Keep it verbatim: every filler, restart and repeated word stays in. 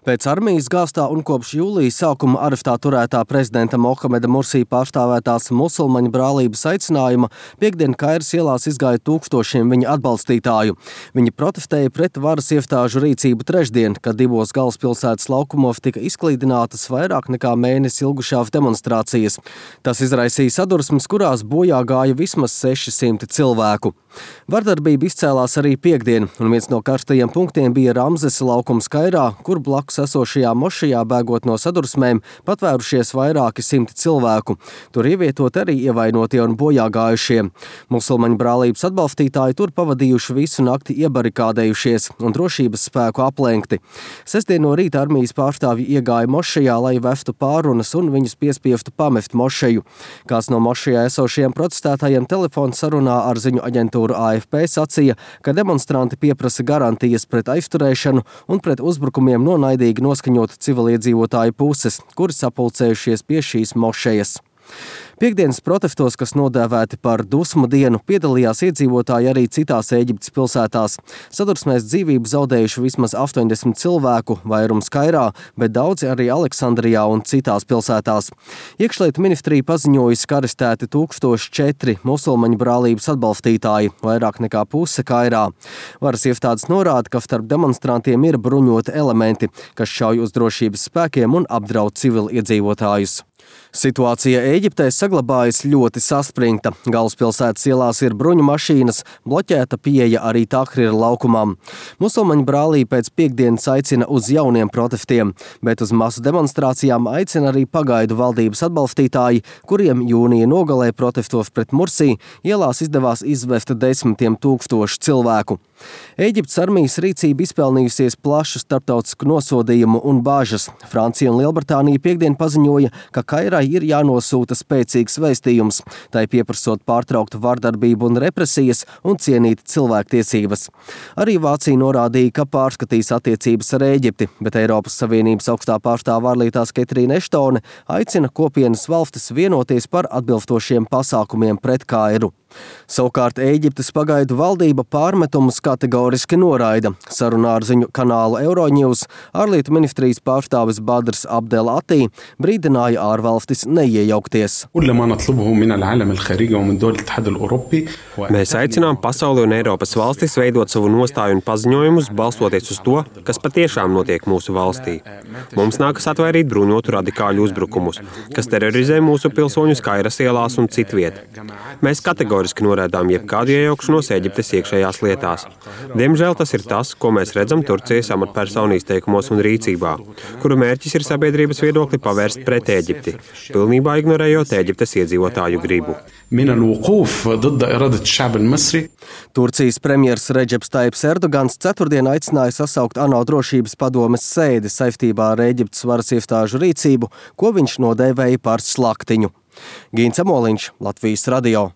Pēc armijas gāstā un kopš jūlijas sākuma areftā turētā prezidenta Mohameda Mursī pārstāvētās musulmaņu brālības aicinājuma piektdien Kairas ielās izgāja tūkstošiem viņa atbalstītāju. Viņi protestēja pret varas iestāžu rīcību trešdien, kad divos galvaspilsētas laukumos tika izklīdinātas vairāk nekā mēnesi ilgušās demonstrācijas. Tas izraisīja sadursmes, kurās bojā gāja vismaz seši simti cilvēku. Vardarbība izcēlās arī piektdien, un viens no karstajiem punktiem bija Ramzes laukums Kairā, kur blakus esošajā mošajā bēgot no sadursmēm patvērušies vairāki simti cilvēku. Tur ievietot arī ievainotie un bojā gājušie. Musulmaņu brālības atbalstītāji tur pavadījuši visu nakti iebarikādējušies un drošības spēku aplenkti. Sestdien no rīta armijas pārstāvji iegāja mošajā, lai vestu pārunas un viņus piespiestu pamest mošeju. Kāds no mošajā esošajiem protestētājiem telefona sarunā ar ziņu aģentūru A F P sacīja, ka demonstranti pieprasa garantijas pret aizturēšanu un pret uzbrukumiem no naidīgi noskaņotu civiliedzīvotāju puses, kuri sapulcējušies pie šīs mošejas. Piektdienas protestos, kas nodēvēti par dusmu dienu, piedalījās iedzīvotāji arī citās Ēģiptes pilsētās. Sadursmēs dzīvību zaudējuši vismaz astoņdesmit cilvēku, vairums Kairā, bet daudzi arī Aleksandrijā un citās pilsētās. Iekšlietu ministrija paziņojusi, ka arestēti tūkstoš četri musulmaņu brālības atbalstītāji, vairāk nekā puse Kairā. Varas iestādes norāda, ka starp demonstrantiem ir bruņoti elementi, kas šauj uz drošības spēkiem un apdraud civiliedzīvotājus. Situācija Ēģiptē saglabājas ļoti saspringta. Galvaspilsētas ielās ir bruņu mašīnas, bloķēta pieeja arī Tahrira laukumam. Musulmaņu brālība pēc piektdienas aicina uz jauniem protestiem, bet uz masu demonstrācijām aicina arī pagaidu valdības atbalstītāji, kuriem jūnija nogalē protestos pret Mursī ielās izdevās izvest desmitiem tūkstošu cilvēku. Ēģiptes armijas rīcība izpelnījusies plašu starptautisku nosodījumu un bāžas. Francija un Lielbritānija piektdien paziņoja, ka Kairai ir jānosūta spēcīgs vēstījums, tai pieprasot pārtraukt vardarbību un represijas un cienīt cilvēktiesības. Arī Vācija norādīja, ka pārskatīs attiecības ar Ēģipti, bet Eiropas Savienības augstā pārstāve ārlietās Ketrīna Eštone aicina kopienas valstis vienoties par atbilstošiem pasākumiem pret Kairu. Savukārt Ēģiptes pagaidu valdība pārmetumus kategoriski noraida. Sarunā ar ziņu kanālu Euronews ārlietu ministrijas pārstāvis Badrs Abdel Atī brīdināja ārvalstis neiejaukties. Mēs aicinām pasauli un Eiropas valstis veidot savu nostāju un paziņojumus, balstoties uz to, kas patiešām notiek mūsu valstī. Mums nākas atvairīt bruņotu radikāļu uzbrukumus, kas terorizē mūsu pilsoņus Kairas ielās un citviet. Mēs kategoriski noraidām jebkādu iejaukšanos Ēģiptes iekšējās lietās. Diemžēl tas ir tas, ko mēs redzam Turcijas amatpersonu izteikumos un rīcībā, kuru mērķis ir sabiedrības viedokli pavērst pret Ēģipti, pilnībā ignorējot Ēģiptes iedzīvotāju gribu. Turcijas premjers Redžeps Taips Erdogans ceturtdien aicināja sasaukt ANO drošības padomes sēdi saistībā ar Ēģiptes varas iestāžu rīcību, ko viņš nodēvēja par slaktiņu. Gīns Amoliņš, Latvijas radio.